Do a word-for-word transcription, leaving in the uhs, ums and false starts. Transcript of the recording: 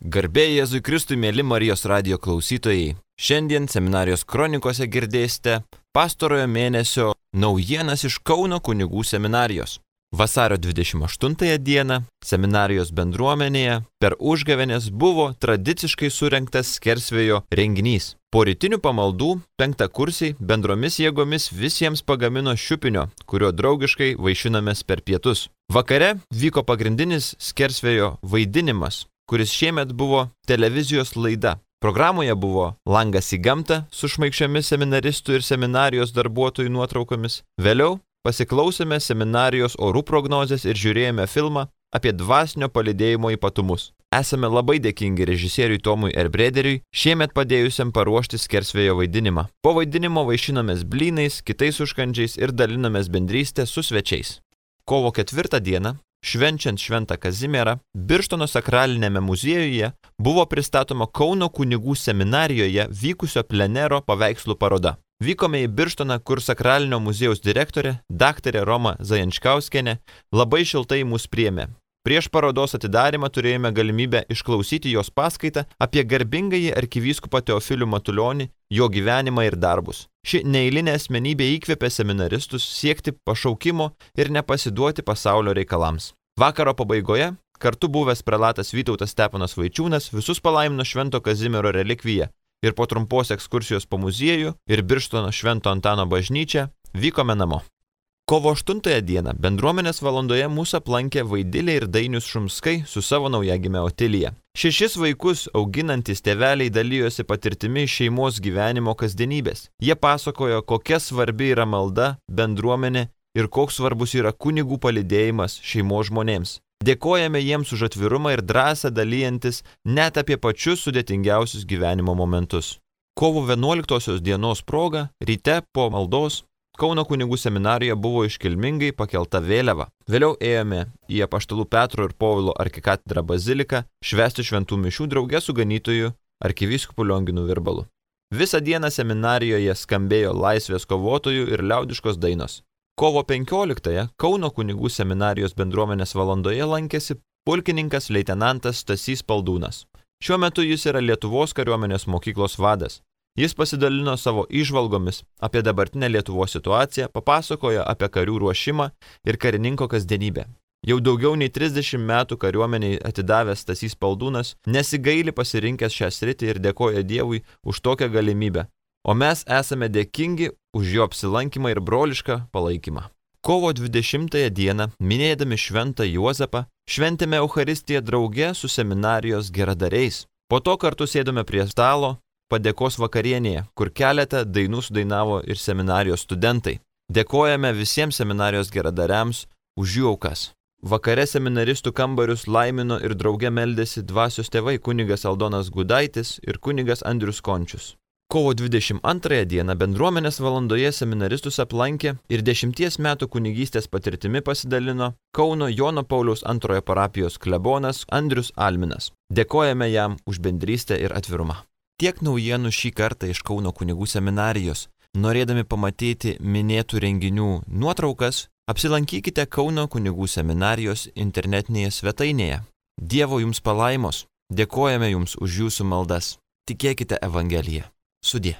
Garbė Jėzui Kristui, mėly Marijos radijo klausytojai. Šiandien seminarijos kronikose girdėsite pastarojo mėnesio naujienas iš Kauno kunigų seminarijos. Vasario dvidešimt aštuntąją dieną seminarijos bendruomenėje per užgavėnes buvo tradiciškai surengtas skersvėjo renginys. Po rytinių pamaldų penktakursiai bendromis jėgomis visiems pagamino šiupinio, kurio draugiškai vaišinamės per pietus. Vakare vyko pagrindinis skersvėjo vaidinimas, kuris šiemet buvo televizijos laida. Programoje buvo Langas į gamtą su šmaikščiomis seminaristų ir seminarijos darbuotojų nuotraukomis. Vėliau pasiklausėme seminarijos orų prognozės ir žiūrėjome filmą apie dvasinio palydėjimo ypatumus. Esame labai dėkingi režisieriui Tomui Erbrederiui, šiemet padėjusiam paruošti skersvėjo vaidinimą. Po vaidinimo vaišinomės blynais, kitais užkandžiais ir dalinomės bendrystę su svečiais. Kovo ketvirtą dieną, švenčiant Šventą Kazimierą, Birštono sakralinėme muziejuje buvo pristatoma Kauno kunigų seminarijoje vykusio plenero paveikslų paroda. Vykome į Birštoną, kur sakralinio muziejaus direktorė, daktarė Roma Zajančkauskienė, labai šiltai mus priėmė. Prieš parodos atidarymą turėjome galimybę išklausyti jos paskaitą apie garbingąjį arkivyskupą Teofilių Matulionį, jo gyvenimą ir darbus. Ši neeilinė asmenybė įkvėpė seminaristus siekti pašaukimo ir nepasiduoti pasaulio reikalams. Vakaro pabaigoje kartu buvęs prelatas Vytautas Steponas Vaičiūnas visus palaimino Švento Kazimiero relikviją ir po trumpos ekskursijos po muziejų ir Birštono Švento Antano bažnyčią vykome namo. Kovo aštuntąją dieną bendruomenės valandoje mūsų aplankė Vaidilė ir Dainius Šumskai su savo naujagime Otilija. Šešis vaikus auginantys tėveliai dalijosi patirtimi iš šeimos gyvenimo kasdienybės. Jie pasakojo, kokia svarbi yra malda, bendruomenė ir koks svarbus yra kunigų palydėjimas šeimos žmonėms. Dėkojame jiems už atvirumą ir drąsą dalyjantis net apie pačius sudėtingiausius gyvenimo momentus. Kovo vienuoliktosios dienos proga, ryte po maldos, Kauno kunigų seminarijoje buvo iškilmingai pakelta vėliava. Vėliau ėjome į Apaštalų Petro ir Povilo arkikatedrą baziliką švęsti šventų mišių drauge su ganytoju arkivyskupu Lionginu Virbalu. Visą dieną seminarijoje skambėjo laisvės kovotojų ir liaudiškos dainos. Kovo penkioliktąją Kauno kunigų seminarijos bendruomenės valandoje lankėsi pulkininkas leitenantas Stasys Paldūnas. Šiuo metu jis yra Lietuvos kariuomenės mokyklos vadas. Jis pasidalino savo įžvalgomis apie dabartinę Lietuvos situaciją, papasakojo apie karių ruošimą ir karininko kasdienybę. Jau daugiau nei trisdešimt metų kariuomeniai atidavęs Stasys Paldūnas nesigaili pasirinkęs šią sritį ir dėkoja Dievui už tokią galimybę, o mes esame dėkingi už jo apsilankymą ir brolišką palaikymą. Kovo dvidešimtąją dieną, minėdami Šventą Juozapą, šventėme Eucharistiją drauge su seminarijos geradariais. Po to kartu sėdome prie stalo padėkos vakarienėje, kur keletą dainų sudainavo ir seminarijos studentai. Dėkojame visiems seminarijos geradariams už jų aukas. Vakare seminaristų kambarius laimino ir drauge meldėsi dvasios tėvai kunigas Aldonas Gudaitis ir kunigas Andrius Končius. Kovo dvidešimt antrąją dieną bendruomenės valandoje seminaristus aplankė ir dešimties metų kunigystės patirtimi pasidalino Kauno Jono Pauliaus antrojo parapijos klebonas Andrius Alminas. Dėkojame jam už bendrystę ir atvirumą. Tiek naujienų šį kartą iš Kauno kunigų seminarijos. Norėdami pamatyti minėtų renginių nuotraukas, apsilankykite Kauno kunigų seminarijos internetinėje svetainėje. Dievo jums palaimos, dėkojame jums už jūsų maldas. Tikėkite Evangeliją. Sudie.